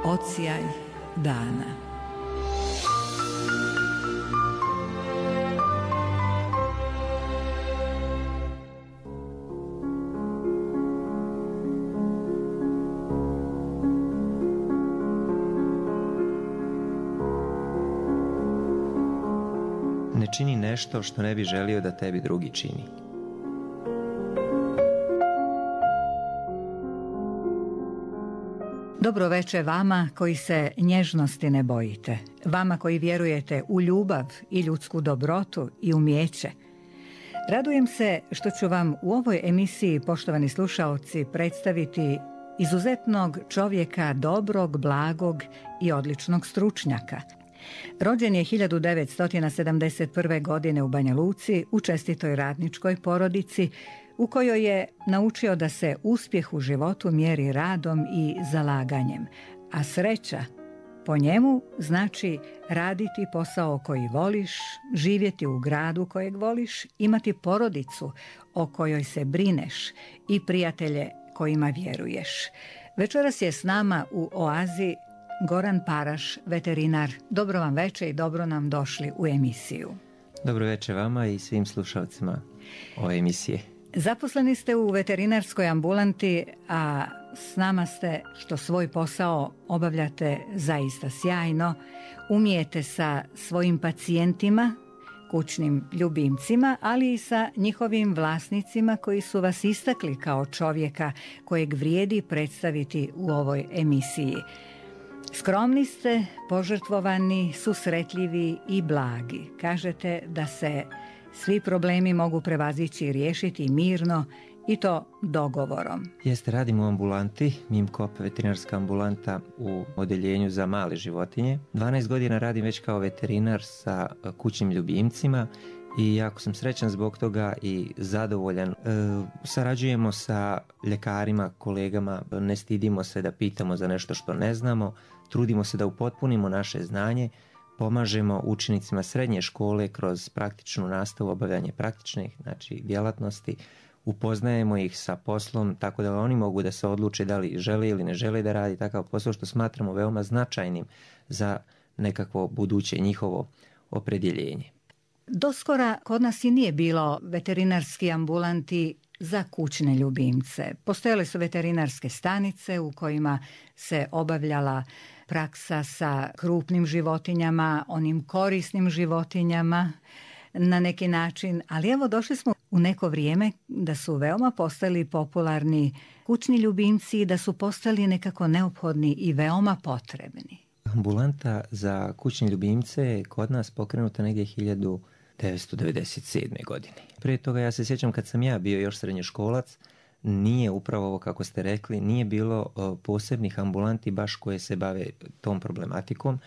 Odsjaj dana. Ne čini nešto što ne bi želio da tebi drugi čini. Dobro veče vama koji se nježnosti ne bojite, vama koji vjerujete u ljubav i ljudsku dobrotu i umijeće. Radujem se što ću vam u ovoj emisiji, poštovani slušaoci, predstaviti izuzetnog čovjeka, dobrog, blagog i odličnog stručnjaka. Rođen je 1971. godine u Banja Luci u čestitoj radničkoj porodici u kojoj je naučio da se uspjeh u životu mjeri radom i zalaganjem, a sreća po njemu znači raditi posao koji voliš, živjeti u gradu kojeg voliš, imati porodicu o kojoj se brineš i prijatelje kojima vjeruješ. Večeras je s nama u Oazi Goran Paraš, veterinar. Dobro vam veče i dobro nam došli u emisiju. Dobro veče vama i svim slušalcima ove emisije. Zaposleni ste u veterinarskoj ambulanti, a s nama ste što svoj posao obavljate zaista sjajno. Umijete sa svojim pacijentima, kućnim ljubimcima, ali i sa njihovim vlasnicima koji su vas istakli kao čovjeka kojeg vrijedi predstaviti u ovoj emisiji. Skromni ste, požrtvovani, susretljivi i blagi. Kažete da se svi problemi mogu prevazići i riješiti mirno i to dogovorom. Jeste, radim u ambulanti, MIMKOP veterinarska ambulanta u odeljenju za male životinje. 12 godina radim već kao veterinar sa kućnim ljubimcima i jako sam srećan zbog toga i zadovoljan. Sarađujemo sa ljekarima, kolegama, ne stidimo se da pitamo za nešto što ne znamo, trudimo se da upotpunimo naše znanje, pomažemo učenicima srednje škole kroz praktičnu nastavu, obavljanje praktičnih djelatnosti, upoznajemo ih sa poslom tako da oni mogu da se odluče da li žele ili ne žele da radi takav posao, što smatramo veoma značajnim za nekakvo buduće njihovo opredjeljenje. Doskora kod nas i nije bilo veterinarski ambulanti za kućne ljubimce. Postojale su veterinarske stanice u kojima se obavljala praksa sa krupnim životinjama, onim korisnim životinjama na neki način, ali evo došli smo u neko vrijeme da su veoma postali popularni kućni ljubimci i da su postali nekako neophodni i veoma potrebni. Ambulanta za kućne ljubimce je kod nas pokrenuta negdje 1997. godine. Prije toga ja se sjećam kad sam ja bio još srednjoškolac, nije upravo ovo kako ste rekli, nije bilo posebnih ambulanti baš koje se bave tom problematikom.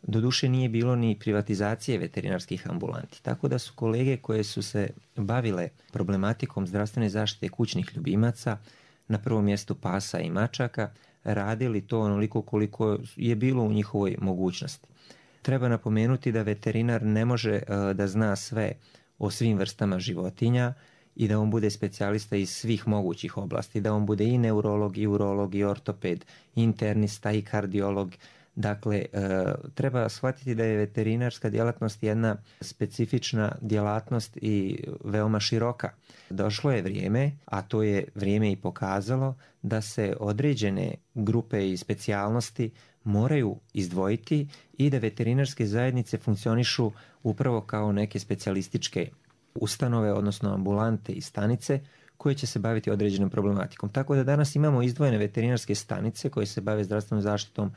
Doduše nije bilo ni privatizacije veterinarskih ambulanti, tako da su kolege koje su se bavile problematikom zdravstvene zaštite kućnih ljubimaca, na prvom mjestu pasa i mačaka, radili to onoliko koliko je bilo u njihovoj mogućnosti. Treba napomenuti da veterinar ne može da zna sve o svim vrstama životinja i da on bude specijalista iz svih mogućih oblasti, da on bude i neurolog, i urolog, i ortoped, i internista, i kardiolog. Dakle, treba shvatiti da je veterinarska djelatnost jedna specifična djelatnost i veoma široka. Došlo je vrijeme, a to je vrijeme i pokazalo, da se određene grupe i specijalnosti moraju izdvojiti i da veterinarske zajednice funkcionišu upravo kao neke specijalističke ustanove, odnosno ambulante i stanice koje će se baviti određenom problematikom. Tako da danas imamo izdvojene veterinarske stanice koje se bave zdravstvenom zaštitom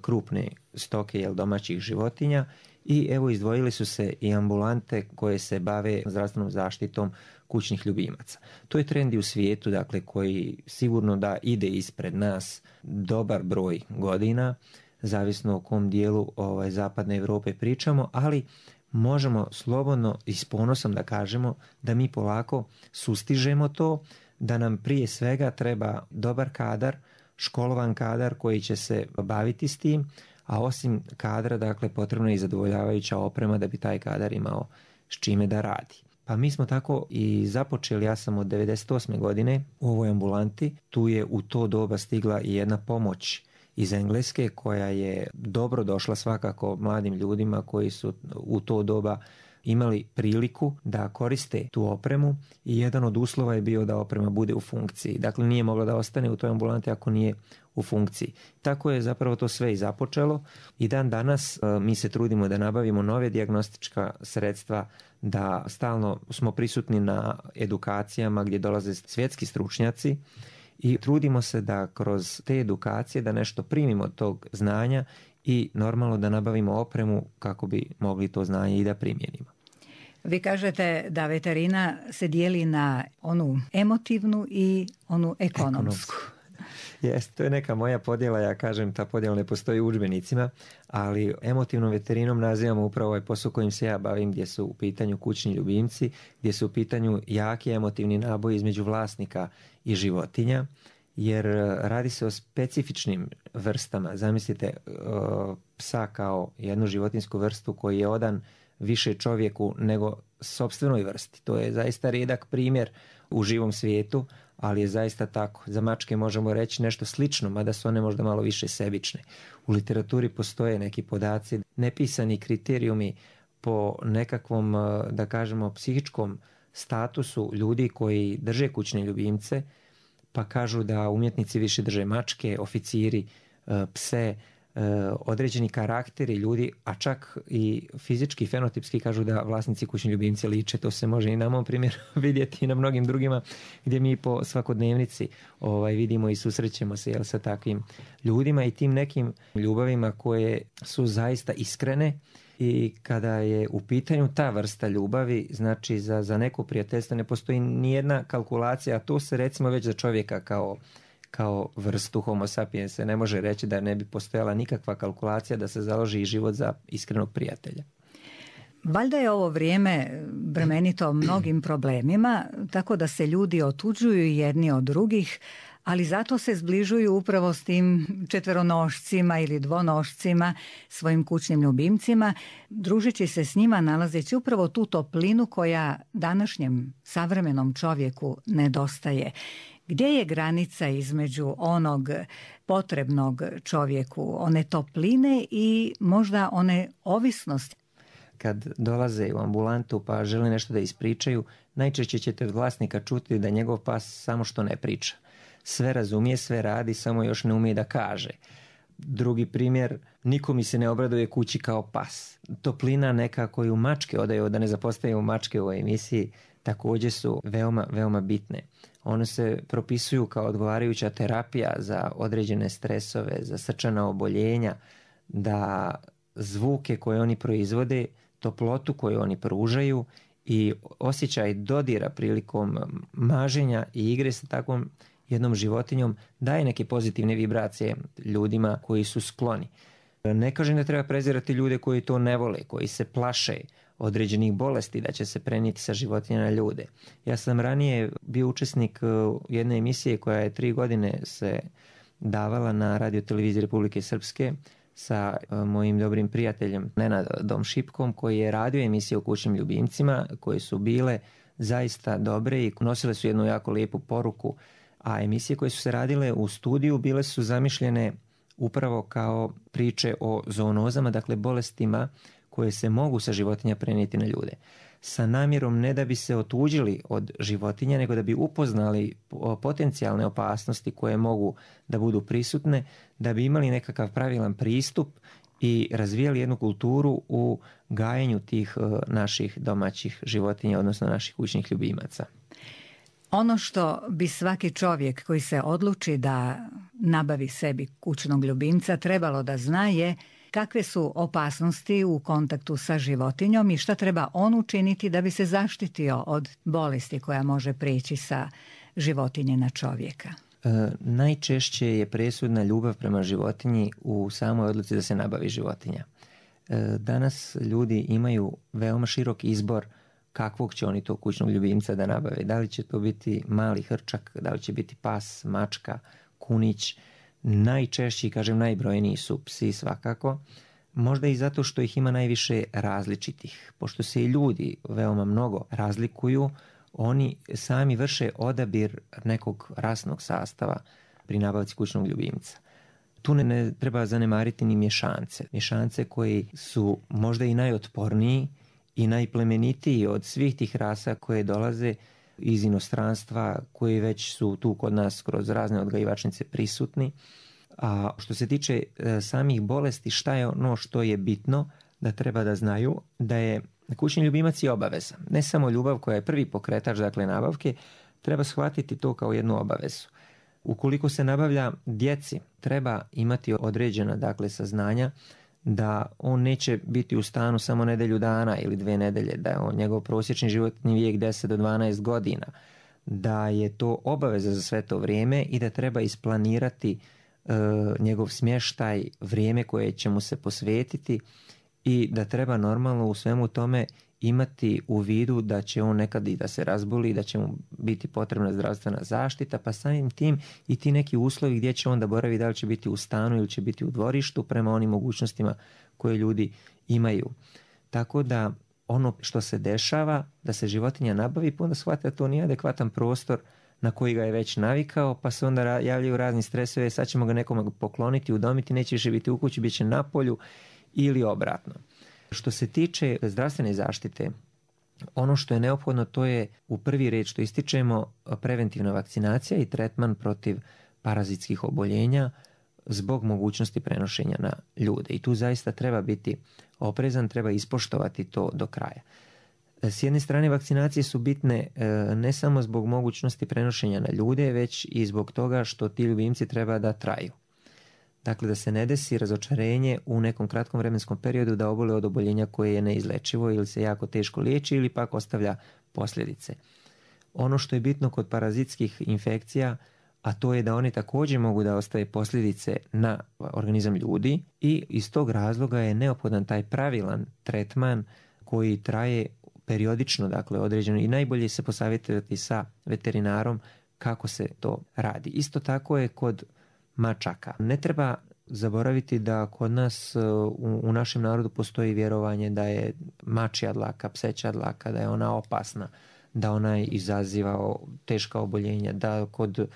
krupne stoke domaćih životinja i evo izdvojili su se i ambulante koje se bave zdravstvenom zaštitom kućnih ljubimaca. To je trend i u svijetu, dakle, koji sigurno da ide ispred nas dobar broj godina, zavisno o kom dijelu zapadne Europe pričamo, ali možemo slobodno i s ponosom da kažemo da mi polako sustižemo to, da nam prije svega treba dobar kadar, školovan kadar koji će se baviti s tim, a osim kadra, dakle, potrebna je i zadovoljavajuća oprema da bi taj kadar imao s čime da radi. Pa mi smo tako i započeli, ja sam od 98. godine u ovoj ambulanti, tu je u to doba stigla i jedna pomoć iz Engleske koja je dobro došla svakako mladim ljudima koji su u to doba imali priliku da koriste tu opremu i jedan od uslova je bio da oprema bude u funkciji. Dakle, nije mogla da ostane u toj ambulanti ako nije u funkciji. Tako je zapravo to sve i započelo i dan danas mi se trudimo da nabavimo nove dijagnostička sredstva, da stalno smo prisutni na edukacijama gdje dolaze svjetski stručnjaci i trudimo se da kroz te edukacije da nešto primimo od tog znanja i normalno da nabavimo opremu kako bi mogli to znanje i da primijenimo. Vi kažete da veterina se dijeli na onu emotivnu i onu ekonomsku. Jest, to je neka moja podjela, ja kažem ta podjela ne postoji u udžbenicima, ali emotivnom veterinom nazivamo upravo ovaj posao kojim se ja bavim, gdje su u pitanju kućni ljubimci, gdje su u pitanju jaki emotivni naboji između vlasnika i životinja, jer radi se o specifičnim vrstama. Zamislite psa kao jednu životinsku vrstu koji je odan više čovjeku nego sopstvenoj vrsti. To je zaista rijedak primjer u živom svijetu, ali je zaista tako. Za mačke možemo reći nešto slično, mada su one možda malo više sebične. U literaturi postoje neki podaci, nepisani kriterijumi po nekakvom, da kažemo, psihičkom statusu ljudi koji drže kućne ljubimce, pa kažu da umjetnici više drže mačke, oficiri, pse, određeni karakteri ljudi, a čak i fizički, fenotipski kažu da vlasnici kućni ljubimci liče. To se može i na mom primjeru vidjeti i na mnogim drugima gdje mi po svakodnevnici vidimo i susrećemo se sa takvim ljudima i tim nekim ljubavima koje su zaista iskrene. I kada je u pitanju ta vrsta ljubavi, znači za neko prijateljstvo ne postoji nijedna kalkulacija, a to se recimo već za čovjeka kao vrstu homo sapiens se ne može reći da ne bi postojala nikakva kalkulacija da se založi i život za iskrenog prijatelja. Valjda je ovo vrijeme bremenito mnogim problemima, tako da se ljudi otuđuju jedni od drugih, ali zato se zbližuju upravo s tim četveronošcima ili dvonošcima, svojim kućnim ljubimcima, družeći se s njima, nalazeći upravo tu toplinu koja današnjem savremenom čovjeku nedostaje. Gdje je granica između onog potrebnog čovjeku, one topline i možda one ovisnosti? Kad dolaze u ambulantu pa žele nešto da ispričaju, najčešće ćete od vlasnika čuti da njegov pas samo što ne priča. Sve razumije, sve radi, samo još ne umije da kaže. Drugi primjer, niko mi se ne obraduje kući kao pas. Toplina neka koju mačke odaju, da ne zapostavimo mačke u ovoj emisiji, također su veoma, veoma bitne. One se propisuju kao odgovarajuća terapija za određene stresove, za srčana oboljenja, da zvuke koje oni proizvode, toplotu koju oni pružaju i osjećaj dodira prilikom maženja i igre sa takvom jednom životinjom daje neke pozitivne vibracije ljudima koji su skloni. Ne kažem da treba prezirati ljude koji to ne vole, koji se plaše određenih bolesti da će se prenijeti sa životinja na ljude. Ja sam ranije bio učesnik jedne emisije koja je 3 godine se davala na radioteleviziji Republike Srpske sa mojim dobrim prijateljem Nenadom Šipkom koji je radio emisije o kućnim ljubimcima koje su bile zaista dobre i nosile su jednu jako lijepu poruku, a emisije koje su se radile u studiju bile su zamišljene upravo kao priče o zoonozama, dakle bolestima koje se mogu sa životinja prenijeti na ljude. Sa namjerom ne da bi se otuđili od životinja, nego da bi upoznali potencijalne opasnosti koje mogu da budu prisutne, da bi imali nekakav pravilan pristup i razvijali jednu kulturu u gajenju tih naših domaćih životinja, odnosno naših kućnih ljubimaca. Ono što bi svaki čovjek koji se odluči da nabavi sebi kućnog ljubimca trebalo da zna je kakve su opasnosti u kontaktu sa životinjom i šta treba on učiniti da bi se zaštitio od bolesti koja može prijeći sa životinje na čovjeka. Najčešće je presudna ljubav prema životinji u samoj odluci da se nabavi životinja. Danas ljudi imaju veoma širok izbor kakvog će oni to kućnog ljubimca da nabave. Da li će to biti mali hrčak, da li će biti pas, mačka, kunić. Najčešći, kažem najbrojniji su psi svakako. Možda i zato što ih ima najviše različitih. Pošto se i ljudi veoma mnogo razlikuju, oni sami vrše odabir nekog rasnog sastava pri nabavci kućnog ljubimca. Tu ne treba zanemariti ni mješance. Mješance koji su možda i najotporniji i najplemenitiji od svih tih rasa koje dolaze iz inostranstva, koji već su tu kod nas kroz razne odgajivačnice prisutni. A što se tiče samih bolesti, šta je ono što je bitno da treba da znaju, da je kućni ljubimac je obaveza. Ne samo ljubav koja je prvi pokretač, dakle nabavke, treba shvatiti to kao jednu obavezu. Ukoliko se nabavlja djeci, treba imati određena, dakle, saznanja da on neće biti u stanu samo nedjelju dana ili 2 nedelje, da je njegov prosječni životni vijek 10 do 12 godina, da je to obaveza za sve to vrijeme i da treba isplanirati njegov smještaj, vrijeme koje će mu se posvetiti i da treba normalno u svemu tome imati u vidu da će on nekad i da se razboli, da će mu biti potrebna zdravstvena zaštita, pa samim tim i ti neki uslovi gdje će on da boravi, da li će biti u stanu ili će biti u dvorištu prema onim mogućnostima koje ljudi imaju. Tako da ono što se dešava, da se životinja nabavi, pa onda shvati da to nije adekvatan prostor na koji ga je već navikao, pa se onda javljaju razni stresovi, sad ćemo ga nekome pokloniti, udomiti, neće više biti u kući, bit će na polju ili obratno. Što se tiče zdravstvene zaštite, ono što je neophodno, to je u prvi red što ističemo preventivna vakcinacija i tretman protiv parazitskih oboljenja zbog mogućnosti prenošenja na ljude. I tu zaista treba biti oprezan, treba ispoštovati to do kraja. S jedne strane, vakcinacije su bitne ne samo zbog mogućnosti prenošenja na ljude, već i zbog toga što ti ljubimci treba da traju. Dakle, da se ne desi razočarenje u nekom kratkom vremenskom periodu da obole od oboljenja koje je neizlečivo ili se jako teško liječi ili pak ostavlja posljedice. Ono što je bitno kod parazitskih infekcija, a to je da oni također mogu da ostave posljedice na organizam ljudi i iz tog razloga je neophodan taj pravilan tretman koji traje periodično, dakle određeno, i najbolje se posavjetovati sa veterinarom kako se to radi. Isto tako je kod mačaka. Ne treba zaboraviti da kod nas u našem narodu postoji vjerovanje da je mačja dlaka, pseća dlaka, da je ona opasna, da ona izaziva teška oboljenja, da kod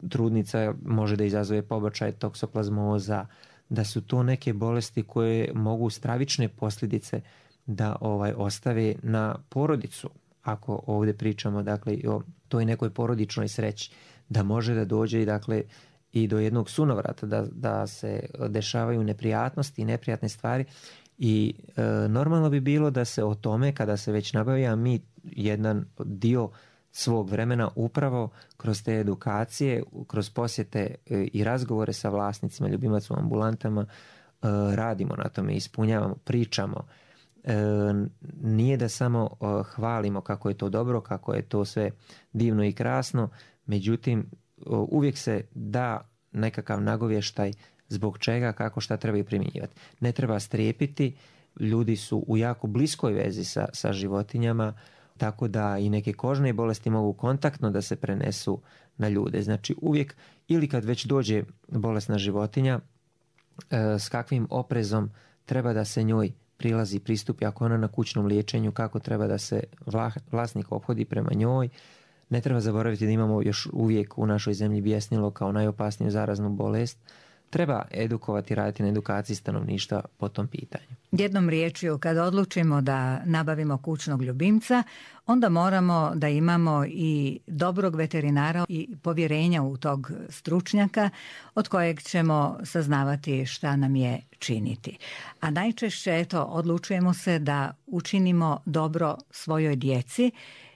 trudnica može da izazove pobačaj toksoplazmoza, da su to neke bolesti koje mogu stravične posljedice da ostave na porodicu. Ako ovdje pričamo, dakle, o toj nekoj porodičnoj sreći, da može da dođe i, dakle, i do jednog sunovrata, da se dešavaju neprijatnosti i neprijatne stvari i normalno bi bilo da se o tome, kada se već nabavi, a mi jedan dio svog vremena upravo kroz te edukacije, kroz posjete i razgovore sa vlasnicima, ljubimaca u ambulantama, radimo na tome, ispunjavamo, pričamo. Nije da samo hvalimo kako je to dobro, kako je to sve divno i krasno, međutim uvijek se da nekakav nagovještaj zbog čega, kako, šta treba i primjenjivati. Ne treba strepiti, ljudi su u jako bliskoj vezi sa životinjama, tako da i neke kožne bolesti mogu kontaktno da se prenesu na ljude. Znači uvijek, ili kad već dođe bolesna životinja, s kakvim oprezom treba da se njoj pristupi, ako ona na kućnom liječenju, kako treba da se vlasnik ophodi prema njoj. Ne treba zaboraviti da imamo još uvijek u našoj zemlji bjesnilo kao najopasniju zaraznu bolest. Treba edukovati, raditi na edukaciji stanovništva po tom pitanju. Jednom riječju, kada odlučimo da nabavimo kućnog ljubimca, onda moramo da imamo i dobrog veterinara i povjerenja u tog stručnjaka od kojeg ćemo saznavati šta nam je činiti. A najčešće, odlučujemo se da učinimo dobro svojoj djeci,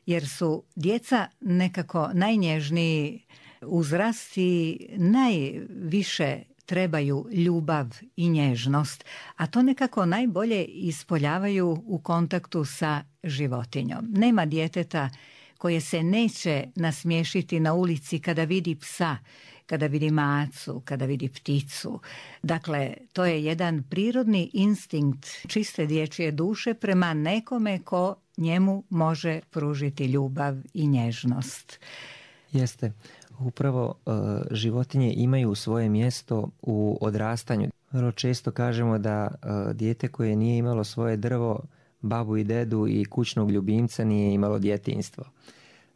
jer su djeca nekako najnježniji uzrast i najviše trebaju ljubav i nježnost, a to nekako najbolje ispoljavaju u kontaktu sa životinjom. Nema djeteta koje se neće nasmiješiti na ulici kada vidi psa, kada vidi macu, kada vidi pticu. Dakle, to je jedan prirodni instinkt čiste dječje duše prema nekome ko njemu može pružiti ljubav i nježnost. Jeste. Upravo životinje imaju svoje mjesto u odrastanju. Vrlo često kažemo da dijete koje nije imalo svoje drvo, babu i dedu i kućnog ljubimca nije imalo djetinjstvo.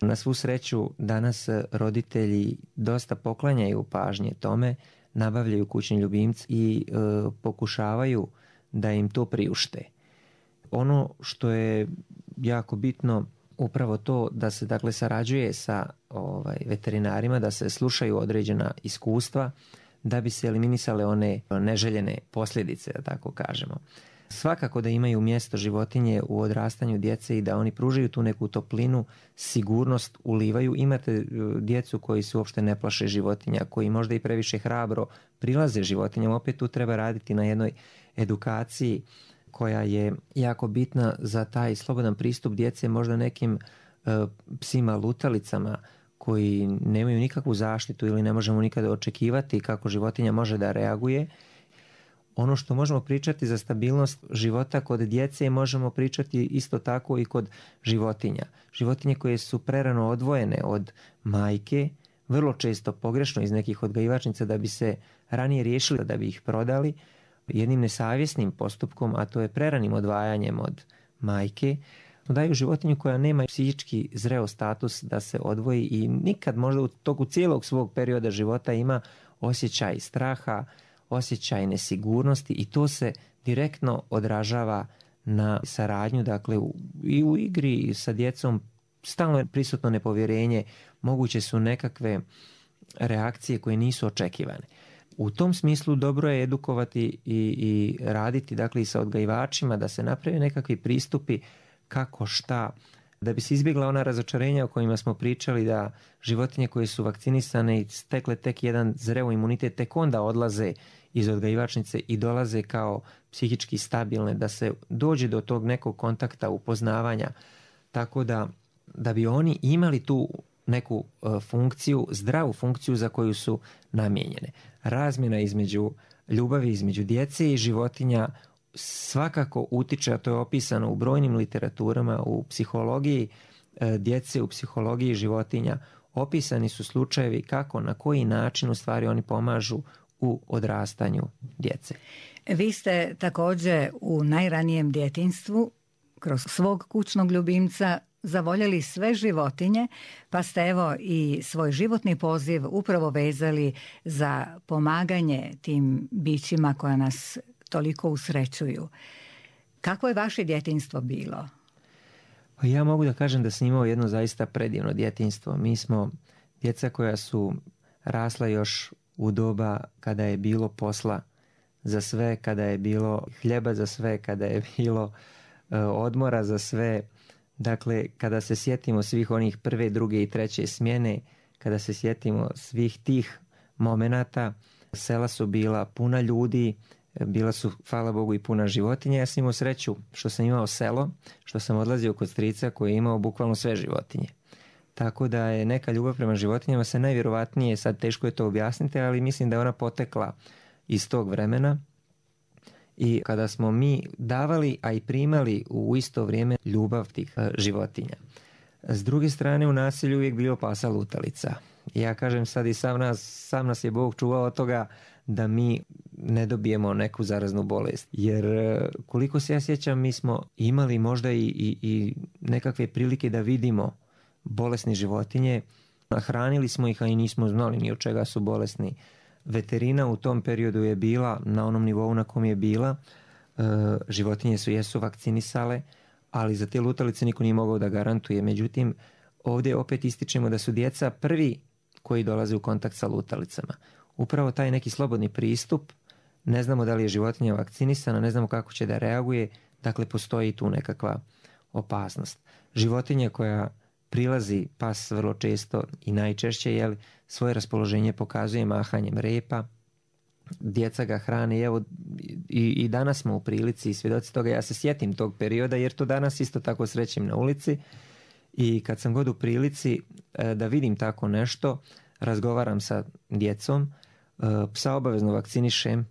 Na svu sreću danas roditelji dosta poklanjaju pažnje tome nabavljaju kućni ljubimci i pokušavaju da im to priušte. Ono što je jako bitno upravo to da se dakle sarađuje sa veterinarima, da se slušaju određena iskustva da bi se eliminisale one neželjene posljedice, da tako kažemo. Svakako da imaju mjesto životinje u odrastanju djece i da oni pružaju tu neku toplinu, sigurnost ulivaju. Imate djecu koji se uopšte ne plaše životinja, koji možda i previše hrabro prilaze životinjama. Opet tu treba raditi na jednoj edukaciji koja je jako bitna za taj slobodan pristup djece možda nekim psima lutalicama koji nemaju nikakvu zaštitu ili ne možemo nikada očekivati kako životinja može da reaguje. Ono što možemo pričati za stabilnost života kod djece možemo pričati isto tako i kod životinja. Životinje koje su prerano odvojene od majke, vrlo često pogrešno iz nekih odgajivačnica da bi se ranije riješili, da bi ih prodali, jednim nesavjesnim postupkom, a to je preranim odvajanjem od majke, daju životinju koja nema psihički zreo status da se odvoji i nikad možda u toku cijelog svog perioda života ima osjećaj straha, osjećaj nesigurnosti i to se direktno odražava na saradnju, dakle i u igri sa djecom stalno je prisutno nepovjerenje, moguće su nekakve reakcije koje nisu očekivane. U tom smislu dobro je edukovati i raditi dakle i sa odgajivačima da se naprave nekakvi pristupi kako šta, da bi se izbjegla ona razočarenja o kojima smo pričali da životinje koje su vakcinisane i stekle tek jedan zreo imunitet tek onda odlaze iz odgajivačnice i dolaze kao psihički stabilne, da se dođe do tog nekog kontakta, upoznavanja, tako da bi oni imali tu neku funkciju, zdravu funkciju za koju su namijenjene. Razmjena između ljubavi, između djece i životinja svakako utiče, a to je opisano u brojnim literaturama, u psihologiji djece, u psihologiji životinja. Opisani su slučajevi kako, na koji način u stvari oni pomažu u odrastanju djece. Vi ste također u najranijem djetinjstvu kroz svog kućnog ljubimca zavoljeli sve životinje, pa ste evo i svoj životni poziv upravo vezali za pomaganje tim bićima koja nas toliko usrećuju. Kako je vaše djetinjstvo bilo? Ja mogu da kažem da sam imao jedno zaista predivno djetinjstvo. Mi smo djeca koja su rasla još u doba kada je bilo posla za sve, kada je bilo hljeba za sve, kada je bilo odmora za sve. Dakle, kada se sjetimo svih onih prve, druge i treće smjene, kada se sjetimo svih tih momenata, sela su bila puna ljudi, bila su, hvala Bogu, i puna životinja. Ja sam imao sreću što sam imao selo, što sam odlazio kod strica koji je imao bukvalno sve životinje. Tako da je neka ljubav prema životinjama se najvjerovatnije, sad teško je to objasniti, ali mislim da je ona potekla iz tog vremena. I kada smo mi davali, a i primali u isto vrijeme ljubav tih životinja. S druge strane, u naselju uvijek bilo pasa lutalica. Ja kažem sad i sam nas je Bog čuvao od toga da mi ne dobijemo neku zaraznu bolest. Jer koliko se ja sjećam, mi smo imali možda i nekakve prilike da vidimo bolesne životinje. Hranili smo ih, a i nismo znali ni od čega su bolesni. Veterina u tom periodu je bila na onom nivou na kom je bila. Životinje jesu vakcinisale, ali za te lutalice niko nije mogao da garantuje. Međutim, ovdje opet ističemo da su djeca prvi koji dolaze u kontakt sa lutalicama. Upravo taj neki slobodni pristup, ne znamo da li je životinja vakcinisana, ne znamo kako će da reaguje, dakle postoji tu nekakva opasnost. Životinja koja prilazi, pas vrlo često i najčešće, svoje raspoloženje pokazuje mahanjem repa, djeca ga hrane, evo i danas smo u prilici i svjedoci toga. Ja se sjetim tog perioda jer to danas isto tako srećem na ulici i kad sam god u prilici da vidim tako nešto, razgovaram sa djecom, psa obavezno vakcinišem,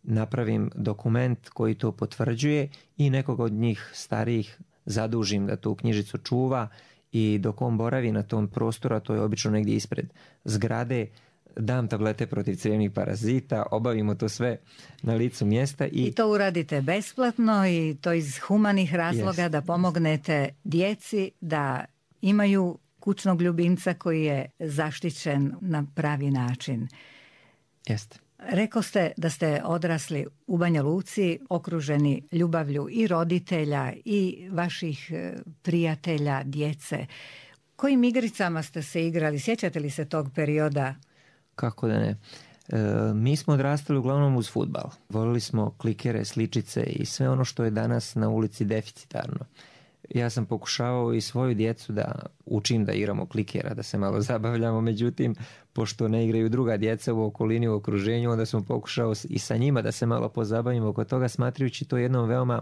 napravim dokument koji to potvrđuje i nekog od njih starijih zadužim da tu knjižicu čuva i dok on boravi na tom prostoru, a to je obično negdje ispred zgrade, dam tablete protiv crijevnih parazita, obavimo to sve na licu mjesta. I to uradite besplatno i to iz humanih razloga da pomognete djeci da imaju kućnog ljubimca koji je zaštićen na pravi način. Jeste. Rekao ste da ste odrasli u Banja Luci, okruženi ljubavlju i roditelja i vaših prijatelja, djece. Kojim igricama ste se igrali? Sjećate li se tog perioda? Kako da ne? Mi smo odrastali uglavnom uz fudbal. Volili smo klikere, sličice i sve ono što je danas na ulici deficitarno. Ja sam pokušavao i svoju djecu da učim da igramo klikera, da se malo zabavljamo, međutim, pošto ne igraju druga djeca u okolini, u okruženju, onda sam pokušao i sa njima da se malo pozabavimo oko toga, smatrajući to jednom veoma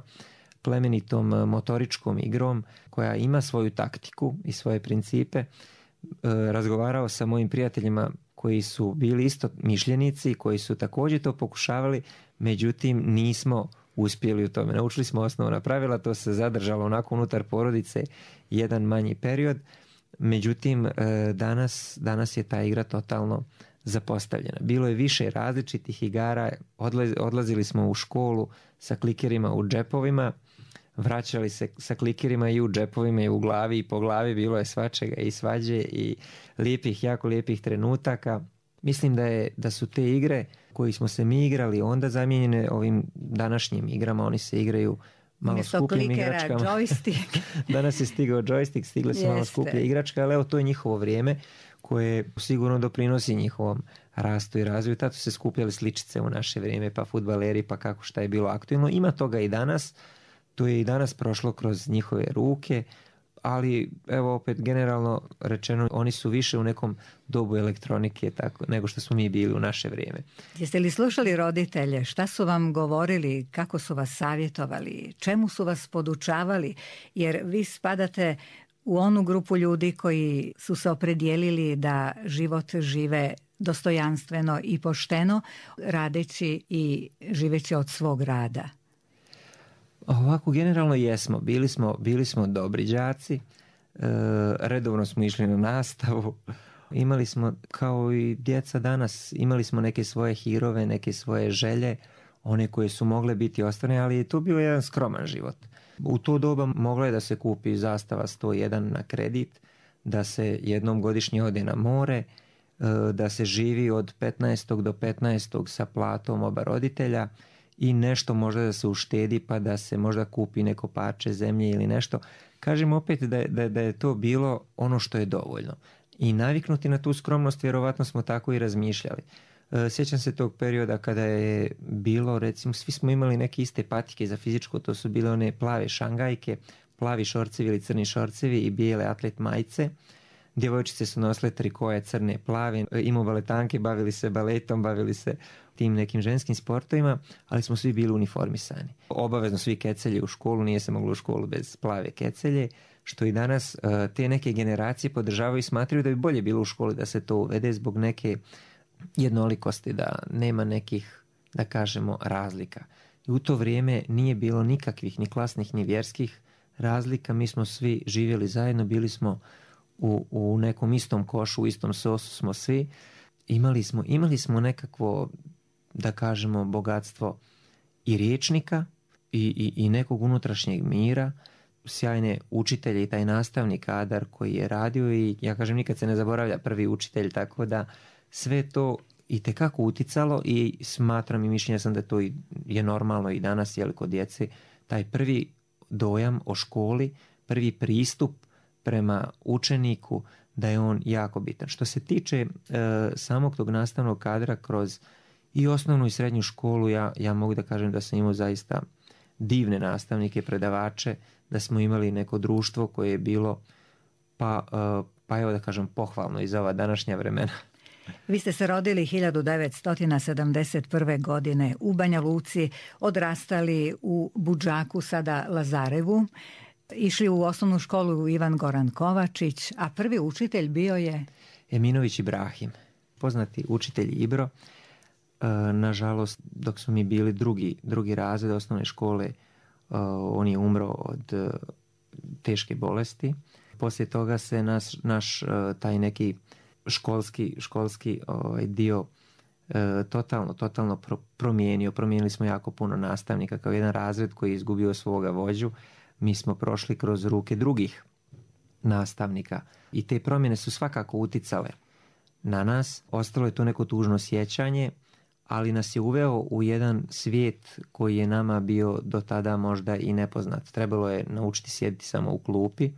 plemenitom motoričkom igrom koja ima svoju taktiku i svoje principe. Razgovarao sa mojim prijateljima koji su bili isto mišljenici, koji su također to pokušavali, međutim nismo uspjeli u tome. Naučili smo osnovna pravila, to se zadržalo onako unutar porodice jedan manji period, međutim danas je ta igra totalno zapostavljena. Bilo je više različitih igara, odlazili smo u školu sa klikerima u džepovima, vraćali se sa klikerima i u džepovima i u glavi i po glavi, bilo je svačega i svađe i jako lijepih trenutaka. Mislim da su te igre koji smo se mi igrali onda zamijenjene ovim današnjim igrama, oni se igraju malo skupljim igračkama. Joystick. Danas je stigao joystick, stigle su malo skuplje igračke, ali evo to je njihovo vrijeme koje sigurno doprinosi njihovom rastu i razvoju. Tato se skupljali sličice u naše vrijeme, pa fudbaleri, pa kako šta je bilo aktualno. Ima toga i danas, to je i danas prošlo kroz njihove ruke, ali evo opet generalno rečeno oni su više u nekom dobu elektronike tako, nego što smo mi bili u naše vrijeme. Jeste li slušali roditelje? Šta su vam govorili? Kako su vas savjetovali? Čemu su vas podučavali? Jer vi spadate u onu grupu ljudi koji su se opredijelili da život žive dostojanstveno i pošteno, radeći i živeći od svog rada. Ovako generalno jesmo, bili smo dobri đaci, redovno smo išli na nastavu, imali smo kao i djeca danas, imali smo neke svoje hirove, neke svoje želje, one koje su mogle biti ostvarene, ali je to bio jedan skroman život. U to doba mogla je da se kupi zastava 101 na kredit, da se jednom godišnje ode na more, da se živi od 15. do 15. sa platom oba roditelja, i nešto možda da se uštedi pa da se možda kupi neko parče zemlje ili nešto. Kažem opet da je to bilo ono što je dovoljno. I naviknuti na tu skromnost, vjerovatno smo tako i razmišljali. Sjećam se tog perioda kada je bilo, recimo, svi smo imali neke iste patike za fizičko, to su bile one plave šangajke, plavi šorcevi ili crni šorcevi i bijele atlet majice. Djevojčice su nosile trikoje crne, plave, imao baletanke, bavili se baletom, bavili se tim nekim ženskim sportovima, ali smo svi bili uniformisani. Obavezno svi kecelje u školu, nije se moglo u školu bez plave kecelje, što i danas te neke generacije podržavaju i smatraju da bi bolje bilo u školi da se to uvede zbog neke jednolikosti, da nema nekih, da kažemo, razlika. I u to vrijeme nije bilo nikakvih ni klasnih ni vjerskih razlika, mi smo svi živjeli zajedno, bili smo u nekom istom košu, u istom sosu smo svi. Imali smo nekakvo, da kažemo, bogatstvo i riječnika i nekog unutrašnjeg mira, sjajne učitelje i taj nastavni kadar koji je radio i ja kažem nikad se ne zaboravlja prvi učitelj, tako da sve to itekako uticalo i smatram i mišljenja sam da to je normalno i danas kod djece, taj prvi dojam o školi, prvi pristup prema učeniku, da je on jako bitan. Što se tiče samog tog nastavnog kadra kroz i osnovnu i srednju školu, ja mogu da kažem da sam imao zaista divne nastavnike, predavače, da smo imali neko društvo koje je bilo pa evo da kažem pohvalno i za ova današnja vremena. Vi ste se rodili 1971. godine u Banja Luci, odrastali u Budžaku, sada Lazarevu, išli u osnovnu školu Ivan Goran Kovačić, a prvi učitelj bio je Eminović Ibrahim, poznati učitelj Ibro. Nažalost, dok smo mi bili drugi razred osnovne škole, on je umro od teške bolesti. Poslije toga se naš taj neki školski dio totalno promijenio. Promijenili smo jako puno nastavnika, kao jedan razred koji je izgubio svoga vođu. Mi smo prošli kroz ruke drugih nastavnika i te promjene su svakako uticale na nas. Ostalo je to neko tužno sjećanje, ali nas je uveo u jedan svijet koji je nama bio do tada možda i nepoznat. Trebalo je naučiti sjediti samo u klupi,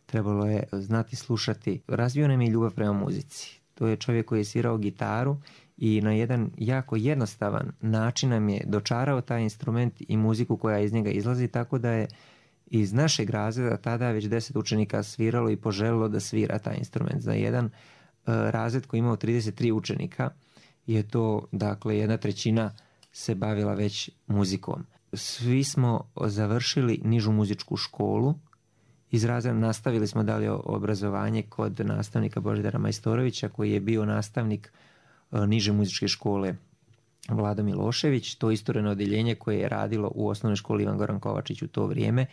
trebalo je znati slušati. Razvio nam je ljubav prema muzici. To je čovjek koji je svirao gitaru i na jedan jako jednostavan način nam je dočarao taj instrument i muziku koja iz njega izlazi, tako da je iz našeg razreda tada već 10 učenika sviralo i poželilo da svira taj instrument. Za jedan razred koji imao 33 učenika je to, dakle, 1/3 se bavila već muzikom. Svi smo završili nižu muzičku školu. Iz razreda nastavili smo dalje obrazovanje kod nastavnika Božidara Majstorovića, koji je bio nastavnik niže muzičke škole Vlado Milošević. To istureno odjeljenje koje je radilo u osnovnoj školi Ivan Goran Kovačić u to vrijeme.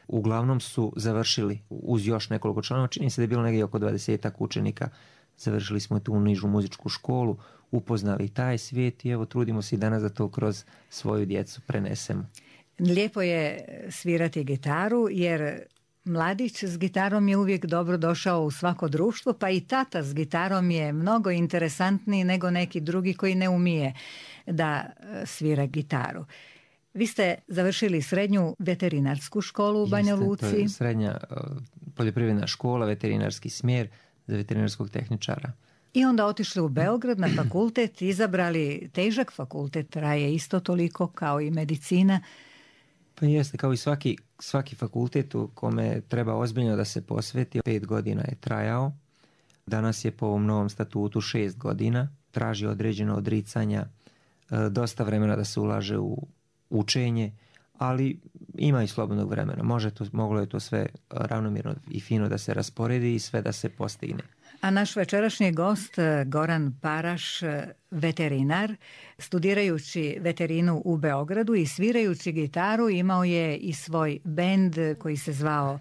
Uglavnom su završili uz još nekoliko članova, čini se da je bilo negdje oko 20 učenika. Završili smo tu nižu muzičku školu, upoznali taj svijet i evo trudimo se i danas da to kroz svoju djecu prenesemo. Lijepo je svirati gitaru jer mladić s gitarom je uvijek dobro došao u svako društvo, pa i tata s gitarom je mnogo interesantniji nego neki drugi koji ne umije da svira gitaru. Vi ste završili srednju veterinarsku školu u Banja Luci. To je srednja poljoprivredna škola, veterinarski smjer za veterinarskog tehničara. I onda otišli u Beograd na fakultet, izabrali težak fakultet, traje isto toliko kao i medicina. Pa jeste, kao i svaki fakultet u kome treba ozbiljno da se posveti. 5 godina je trajao. Danas je po ovom novom statutu 6 godina. Traži određeno odricanja, dosta vremena da se ulaže u učenje, ali ima i slobodnog vremena. Moglo je to sve ravnomjerno i fino da se rasporedi i sve da se postigne. A naš večerašnji gost, Goran Paraš, veterinar, studirajući veterinu u Beogradu i svirajući gitaru, imao je i svoj bend koji se zvao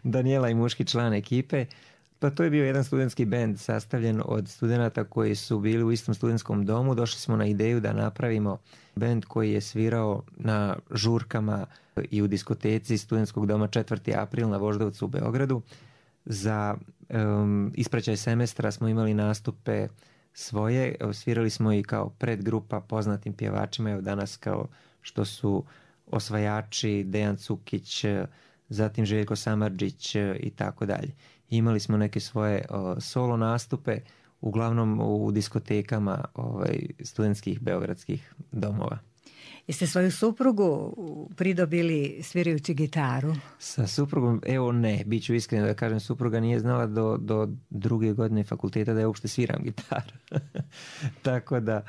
Danijela i muški član ekipe. Pa to je bio jedan studentski bend sastavljen od studenata koji su bili u istom studentskom domu. Došli smo na ideju da napravimo bend koji je svirao na žurkama i u diskoteci studentskog doma 4. april na Voždovcu u Beogradu. Za ispraćaj semestra smo imali nastupe svoje. Svirali smo i kao predgrupa poznatim pjevačima. Evo danas kao što su Osvajači, Dejan Cukić, zatim Željko Samardžić i tako dalje. Imali smo neke svoje solo nastupe, uglavnom u diskotekama studentskih beogradskih domova. Jeste svoju suprugu pridobili svirajući gitaru? Sa suprugom, evo ne, bit ću iskren da kažem, supruga nije znala do 2. godine fakulteta da ja uopšte sviram gitaru. Tako da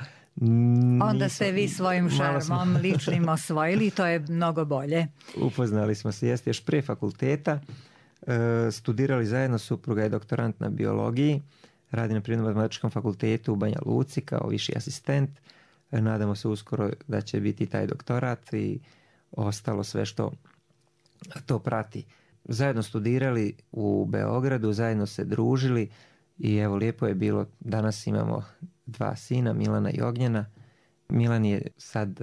onda ste vi svojim šarmom ličnim osvojili i to je mnogo bolje. Upoznali smo se, jeste još pre fakulteta. Studirali zajedno, supruga je doktorant na biologiji, radi na Prirodno-matematičkom fakultetu u Banja Luci kao viši asistent. Nadamo se uskoro da će biti taj doktorat i ostalo sve što to prati. Zajedno studirali u Beogradu, zajedno se družili i evo lijepo je bilo. Danas imamo 2 sina, Milana i Ognjena. Milan je sad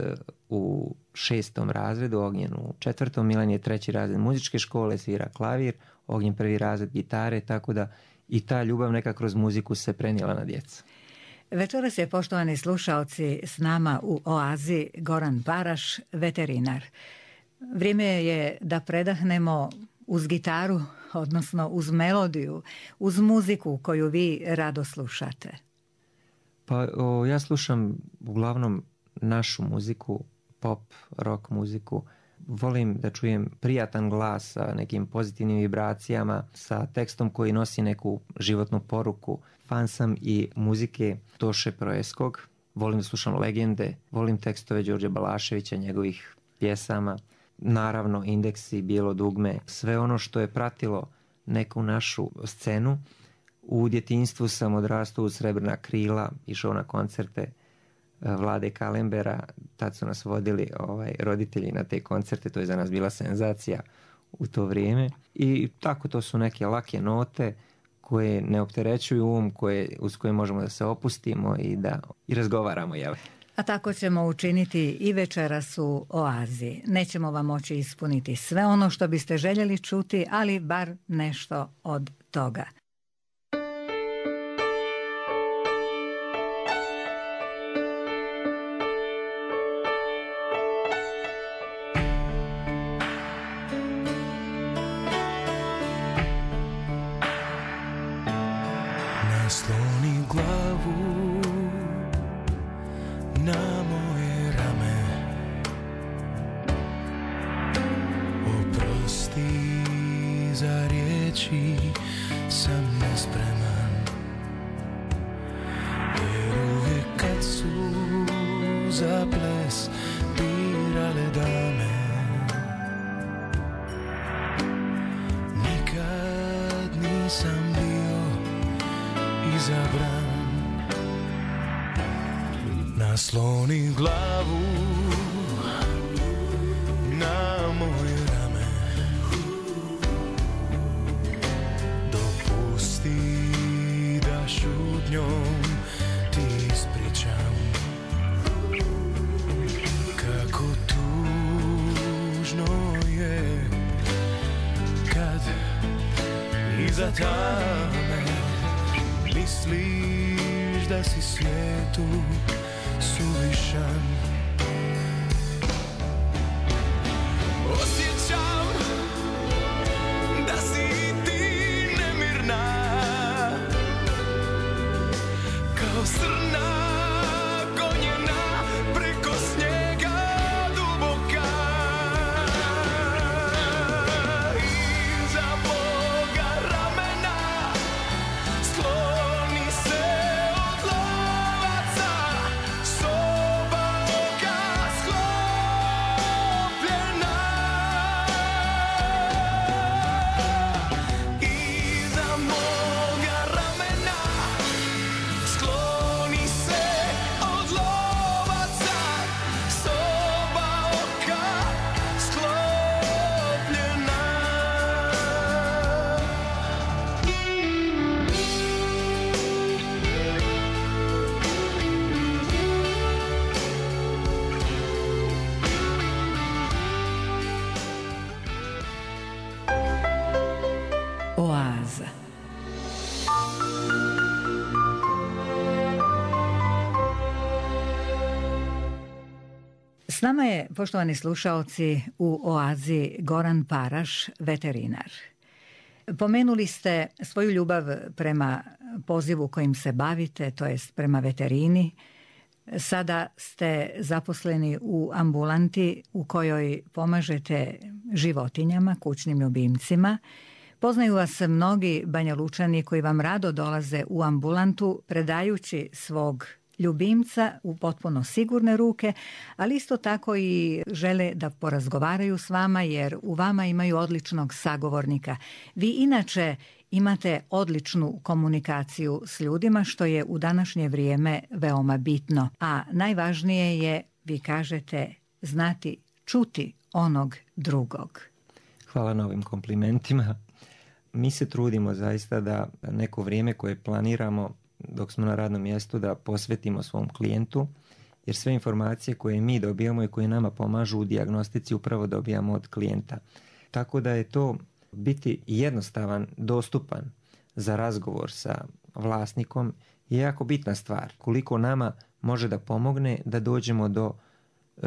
u 6. razredu, Ognjen u 4. Milan je 3. razred muzičke škole, svira klavir, Ognjen 1. razred gitare, tako da i ta ljubav neka kroz muziku se prenijela na djecu. Večeras je, poštovani slušaoci, s nama u Oazi Goran Paraš, veterinar. Vrijeme je da predahnemo uz gitaru, odnosno uz melodiju, uz muziku koju vi rado slušate. Pa ja slušam uglavnom našu muziku, pop, rock muziku. Volim da čujem prijatan glas sa nekim pozitivnim vibracijama, sa tekstom koji nosi neku životnu poruku. Fan sam i muzike Toše Proeskog. Volim da slušam legende, volim tekstove Đorđe Balaševića, njegovih pjesama. Naravno, Indeksi, Bijelo dugme, sve ono što je pratilo neku našu scenu. U djetinjstvu sam odrastao uz Srebrna krila, išao na koncerte Vlade Kalembera, tad su nas vodili roditelji na te koncerte, to je za nas bila senzacija u to vrijeme. I tako, to su neke lake note koje ne opterećuju uz koje možemo da se opustimo i razgovaramo. Jel? A tako ćemo učiniti i večeras u Oazi. Nećemo vam moći ispuniti sve ono što biste željeli čuti, ali bar nešto od toga. za ples birale dame. Nikad nisam bio izabran. Nasloni glavu na moj rame. Dopusti da šutnjom ti ispričam kako tužno je kad iza tame misliš da si svijetu suvišan. Osjećam da si ti nemirna kao srna gonjena preko snijega duboka. Iza moga ramena skloni se od lovaca, soba oka sklopljena. Iza moga ramena skloni se od lovaca, soba oka sklopljena. Oaza. S nama je, poštovani slušaoci, u Oazi Goran Paraš, veterinar. Pomenuli ste svoju ljubav prema pozivu kojim se bavite, to jest prema veterini. Sada ste zaposleni u ambulanti u kojoj pomažete životinjama, kućnim ljubimcima. Poznaju vas mnogi Banjalučani koji vam rado dolaze u ambulantu predajući svog ljubimca u potpuno sigurne ruke, ali isto tako i žele da porazgovaraju s vama jer u vama imaju odličnog sagovornika. Vi inače imate odličnu komunikaciju s ljudima, što je u današnje vrijeme veoma bitno. A najvažnije je, vi kažete, znati čuti onog drugog. Hvala na ovim komplimentima. Mi se trudimo zaista da neko vrijeme koje planiramo dok smo na radnom mjestu da posvetimo svom klijentu, jer sve informacije koje mi dobijamo i koje nama pomažu u dijagnostici upravo dobijamo od klijenta. Tako da je to biti jednostavan, dostupan za razgovor sa vlasnikom je jako bitna stvar. Koliko nama može da pomogne da dođemo do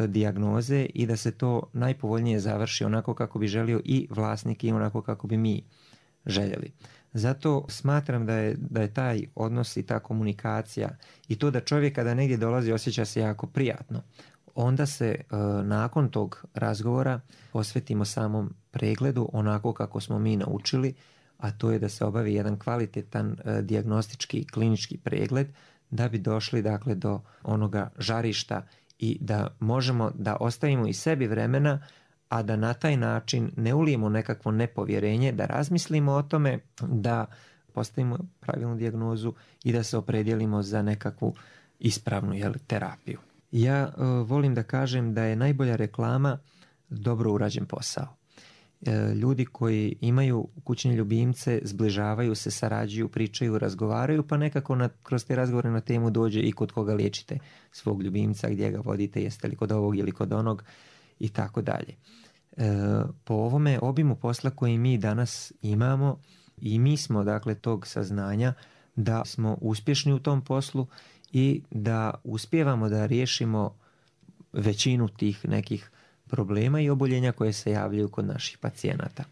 dijagnoze i da se to najpovoljnije završi onako kako bi želio i vlasnik i onako kako bi mi željeli. Zato smatram da je taj odnos i ta komunikacija i to da čovjek kada negdje dolazi osjeća se jako prijatno. Onda se nakon tog razgovora posvetimo samom pregledu onako kako smo mi naučili, a to je da se obavi jedan kvalitetan dijagnostički klinički pregled da bi došli dakle do onoga žarišta i da možemo da ostavimo i sebi vremena, a da na taj način ne ulijemo nekakvo nepovjerenje, da razmislimo o tome, da postavimo pravilnu dijagnozu i da se opredijelimo za nekakvu ispravnu terapiju. Ja volim da kažem da je najbolja reklama dobro urađen posao. Ljudi koji imaju kućne ljubimce zbližavaju se, sarađuju, pričaju, razgovaraju, pa nekako kroz te razgovore na temu dođe i kod koga liječite svog ljubimca, gdje ga vodite, jeste li kod ovog ili kod onog i tako dalje. Po ovome obimu posla koji mi danas imamo i mi smo dakle tog saznanja da smo uspješni u tom poslu i da uspijevamo da riješimo većinu tih nekih problema i oboljenja koje se javljaju kod naših pacijenata.